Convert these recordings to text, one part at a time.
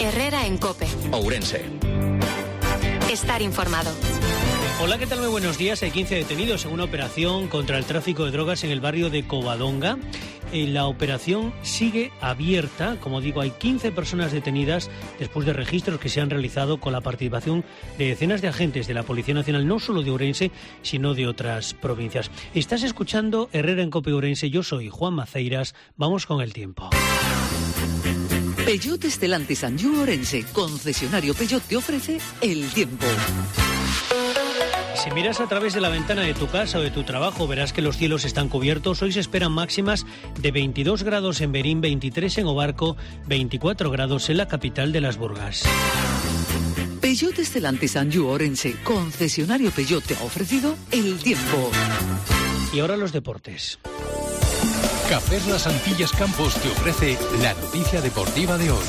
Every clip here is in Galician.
Herrera en COPE. Ourense. Estar informado. Hola, ¿qué tal? Muy buenos días. Hay 15 detenidos en una operación contra el tráfico de drogas en el barrio de Covadonga. La operación sigue abierta. Como digo, hay 15 personas detenidas después de registros que se han realizado con la participación de decenas de agentes de la Policía Nacional, no solo de Ourense, sino de otras provincias. Estás escuchando Herrera en COPE Ourense. Yo soy Juan Maceiras. Vamos con el tiempo. Peugeot Stellantis Anjou Ourense, concesionario Peugeot, te ofrece el tiempo. Si miras a través de la ventana de tu casa o de tu trabajo, verás que los cielos están cubiertos. Hoy se esperan máximas de 22 grados en Berín, 23 en Obarco, 24 grados en la capital de las Burgas. Peugeot Stellantis Anjou Ourense, concesionario Peugeot, te ha ofrecido el tiempo. Y ahora los deportes. Cafés Las Antillas Campos te ofrece la noticia deportiva de hoy.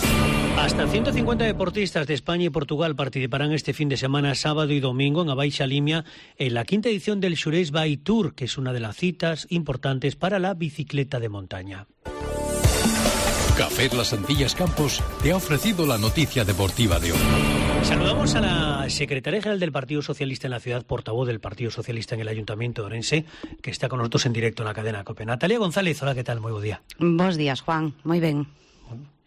Hasta 150 deportistas de España y Portugal participarán este fin de semana, sábado y domingo, en Abaixa Limia, en la quinta edición del Xurés Bike Tour, que es una de las citas importantes para la bicicleta de montaña. Cafés Las Antillas Campos te ha ofrecido la noticia deportiva de hoy. Saludamos a la secretaria general del Partido Socialista en la ciudad, portavoz del Partido Socialista en el Ayuntamiento de Ourense, que está con nosotros en directo en la cadena COPE. Natalia González, hola, ¿qué tal? Muy buen día. Bos días, Juan. Moi ben.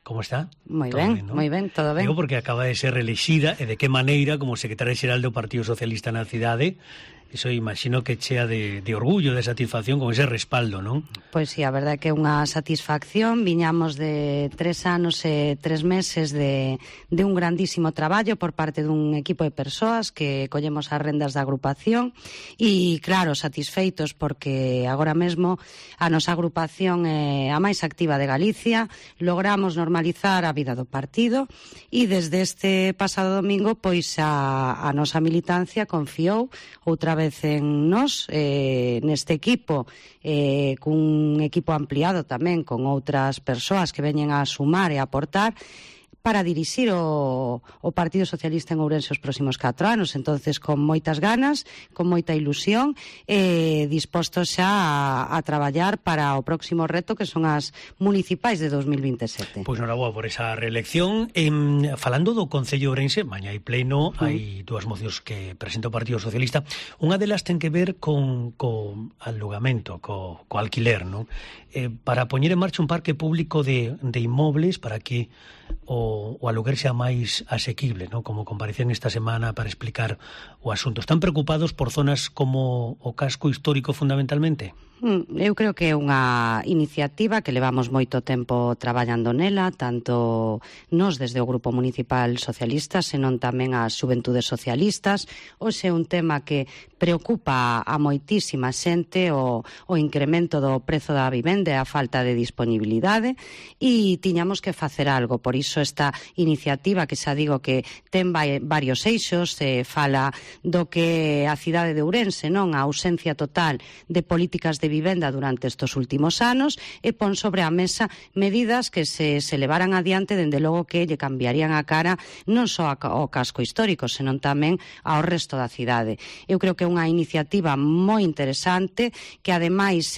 ¿Cómo está? Moi ben, ¿no? moi ben, todo ben. Digo porque acaba de ser reelexida, e de que maneira como secretaria xeral do Partido Socialista na cidade. Iso imagino que chea de orgullo, de satisfacción con ese respaldo, non? Pois sí, a verdade é que é unha satisfacción. Viñamos de 3 anos e 3 meses de un grandísimo traballo por parte dun equipo de persoas que collemos as rendas da agrupación e, claro, satisfeitos porque agora mesmo a nosa agrupación é a máis activa de Galicia. Logramos normalizar a vida do partido e desde este pasado domingo pois a nosa militancia confiou outra vez en nós, neste equipo, cun equipo ampliado tamén con outras persoas que veñen a sumar e a aportar para dirixir o Partido Socialista en Ourense os próximos 4 anos. Entonces, con moitas ganas, con moita ilusión, dispostos xa a traballar para o próximo reto, que son as municipais de 2027. Pois noraboa por esa reelección. Falando do Concello de Ourense, mañá hai pleno, hai dúas mocións que presenta o Partido Socialista. Unha delas ten que ver con alugamento, co alquiler, non? Para poñer en marcha un parque público de inmobles para que o aluguer sea máis asequible, ¿no? Como comparecían esta semana para explicar o asunto. Están preocupados por zonas como o casco histórico fundamentalmente? Eu creo que é unha iniciativa que levamos moito tempo traballando nela, tanto nós desde o Grupo Municipal Socialista, senón tamén as Xuventudes Socialistas. Hoxe é un tema que preocupa a moitísima xente, o incremento do prezo da vivenda e a falta de disponibilidade, e tiñamos que facer algo. Por iso esta iniciativa, que xa digo que ten varios eixos, fala do que a cidade de Ourense, non, a ausencia total de políticas de vivenda durante estes últimos anos, e pon sobre a mesa medidas que se levaran adiante, dende logo que lle cambiarían a cara non só ao casco histórico, senón tamén ao resto da cidade. Eu creo que é unha iniciativa moi interesante, que ademais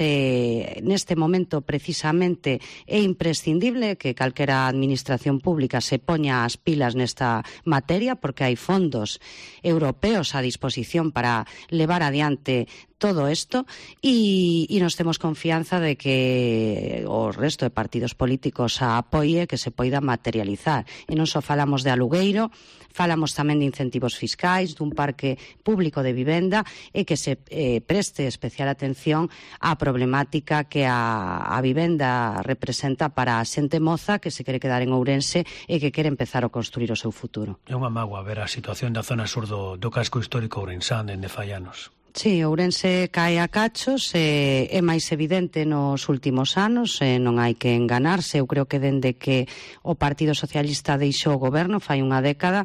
neste momento precisamente é imprescindible que calquera administración pública se poña as pilas nesta materia, porque hai fondos europeos a disposición para levar adiante todo isto, e nos temos confianza de que o resto de partidos políticos a apoie, que se poida materializar. E non só falamos de alugueiro, falamos tamén de incentivos fiscais, dun parque público de vivenda, e que se preste especial atención á problemática que a vivenda representa para a xente moza que se quere quedar en Ourense e que quere empezar a construir o seu futuro. É unha mágoa ver a situación da zona sur do casco histórico ourensán dende fai anos. Sí, Ourense cae a cachos, é máis evidente nos últimos anos, non hai que enganarse. Eu creo que dende que o Partido Socialista deixou o goberno, fai unha década,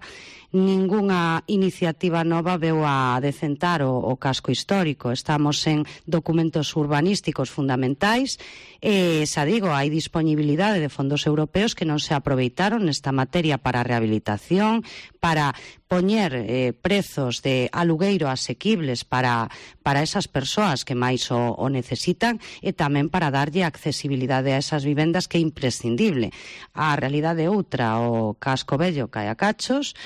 ningunha iniciativa nova veu a decentar o casco histórico. Estamos en documentos urbanísticos fundamentais e, xa digo, hai disponibilidade de fondos europeos que non se aproveitaron nesta materia para a rehabilitación, para poñer prezos de alugueiro asequibles para esas persoas que máis o necesitan e tamén para darlle accesibilidade a esas vivendas que é imprescindible. A realidade outra, o casco vello cae a cachos.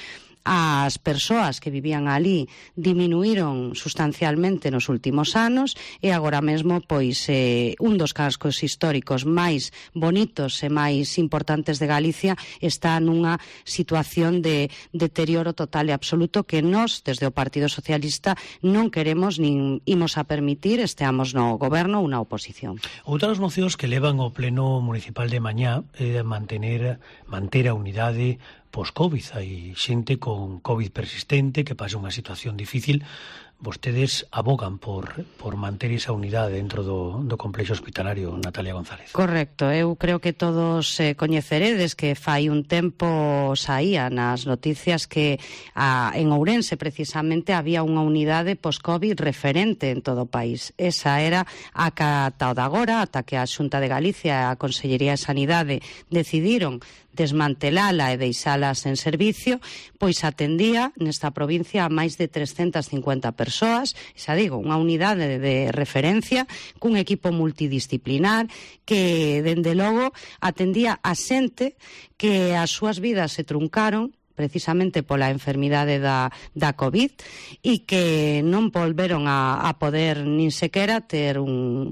As persoas que vivían ali diminuíron sustancialmente nos últimos anos e agora mesmo pois un dos cascos históricos máis bonitos e máis importantes de Galicia está nunha situación de deterioro total e absoluto que nós, desde o Partido Socialista, non queremos nin imos a permitir, esteamos no goberno ou na oposición. Outras mocións que levan ao Pleno Municipal de mañá é manter a unidade pos-Covid. Hai xente con Covid persistente que pasa unha situación difícil. Vostedes abogan por manter esa unidade dentro do complexo hospitalario, Natalia González. Correcto, eu creo que todos coñeceredes que fai un tempo saía nas noticias que en Ourense precisamente había unha unidade post-Covid referente en todo o país. Esa era a que ata o de agora, ata que a Xunta de Galicia e a Consellería de Sanidade decidiron desmantelala e deixalas en servicio, pois atendía nesta provincia a máis de 350 persoas, xa digo, unha unidade de referencia cun equipo multidisciplinar que, dende logo, atendía a xente que as súas vidas se truncaron precisamente pola enfermidade da COVID e que non volveron a poder nin sequera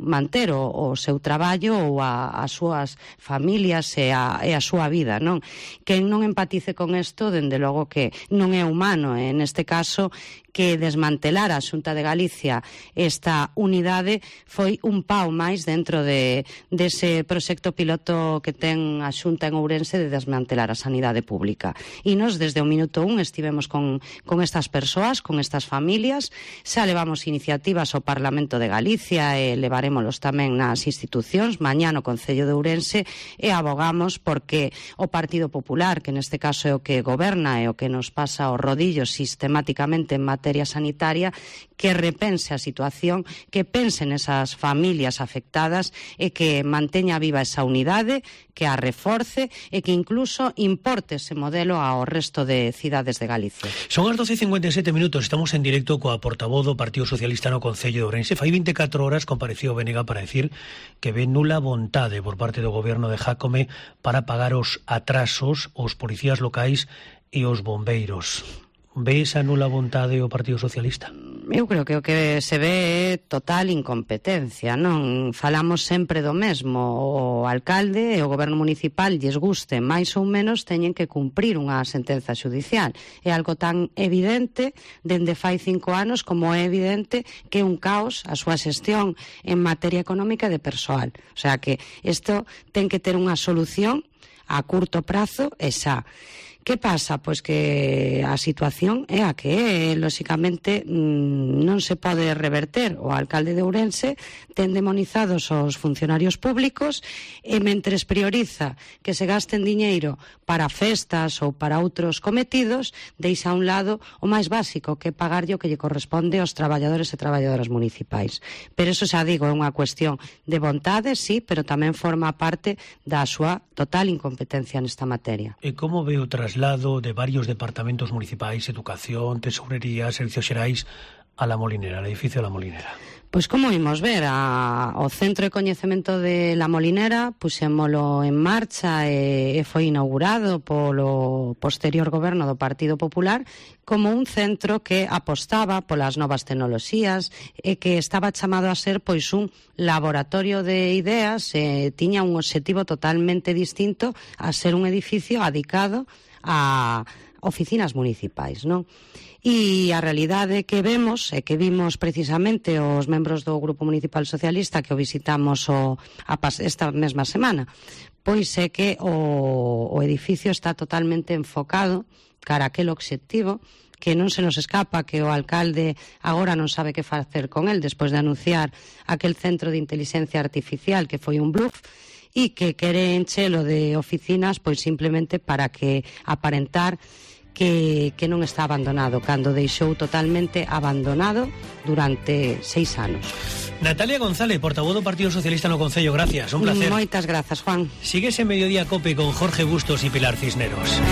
manter o seu traballo ou as súas familias e a súa vida, non? Quen non empatice con isto, dende logo que non é humano, e neste caso que desmantelar a Xunta de Galicia esta unidade foi un pau máis dentro dese proxecto piloto que ten a Xunta en Ourense de desmantelar a sanidade pública. E nos desde o minuto 1 estivemos con estas persoas, con estas familias, xa levamos iniciativas ao Parlamento de Galicia e levarémolos tamén nas institucións, mañá no Concello de Ourense, e abogamos porque o Partido Popular, que neste caso é o que goberna e o que nos pasa os rodillos sistemáticamente en materia sanitaria, que repense a situación, que pense nesas familias afectadas e que manteña viva esa unidade, que a reforce e que incluso importe ese modelo ao resto de cidades de Galicia. Son as 12:57 minutos, estamos en directo coa portavoz do Partido Socialista no Concello de Ourense. Fai 24 horas compareceu Benega para decir que ve nula vontade por parte do goberno de Jácome para pagar os atrasos aos policías locais e aos bombeiros. Ve esa nula vontade o Partido Socialista? Eu creo que o que se ve é total incompetencia, non? Falamos sempre do mesmo. O alcalde e o goberno municipal, lles guste máis ou menos, teñen que cumprir unha sentenza xudicial. É algo tan evidente dende fai 5 anos como é evidente que é un caos a súa xestión en materia económica e de persoal. O sea que isto ten que ter unha solución a curto prazo e xa. Que pasa? Pois que a situación é a que é, lóxicamente non se pode reverter. O alcalde de Ourense ten demonizados os funcionarios públicos e mentres prioriza que se gasten diñeiro para festas ou para outros cometidos, deixa a un lado o máis básico, que é pagarlle o que lle corresponde aos traballadores e traballadoras municipais. Pero eso xa digo, é unha cuestión de vontade, sí, pero tamén forma parte da súa total incompetencia nesta materia. E como ve o traslado de varios departamentos municipais, educación, tesourería, servicios xerais, a La Molinera, al edificio de La Molinera? Pois como vimos ver, o Centro de Coñecemento de La Molinera puxémolo en marcha e foi inaugurado polo posterior goberno do Partido Popular como un centro que apostaba polas novas tecnoloxías e que estaba chamado a ser pois un laboratorio de ideas e tiña un obxectivo totalmente distinto a ser un edificio adicado a oficinas municipais, non? E a realidade que vemos e que vimos precisamente os membros do Grupo Municipal Socialista que o visitamos esta mesma semana, pois é que o edificio está totalmente enfocado cara a aquel obxectivo que non se nos escapa que o alcalde agora non sabe que facer con el despois de anunciar aquel centro de inteligencia artificial que foi un bluff e que quere enchelo de oficinas pois simplemente para que aparentar que non está abandonado, cando deixou totalmente abandonado durante 6 anos. Natalia González, portavoz do Partido Socialista no Concello, gracias, un placer. Moitas grazas, Juan. Síguese Mediodía Cope con Jorge Bustos y Pilar Cisneros.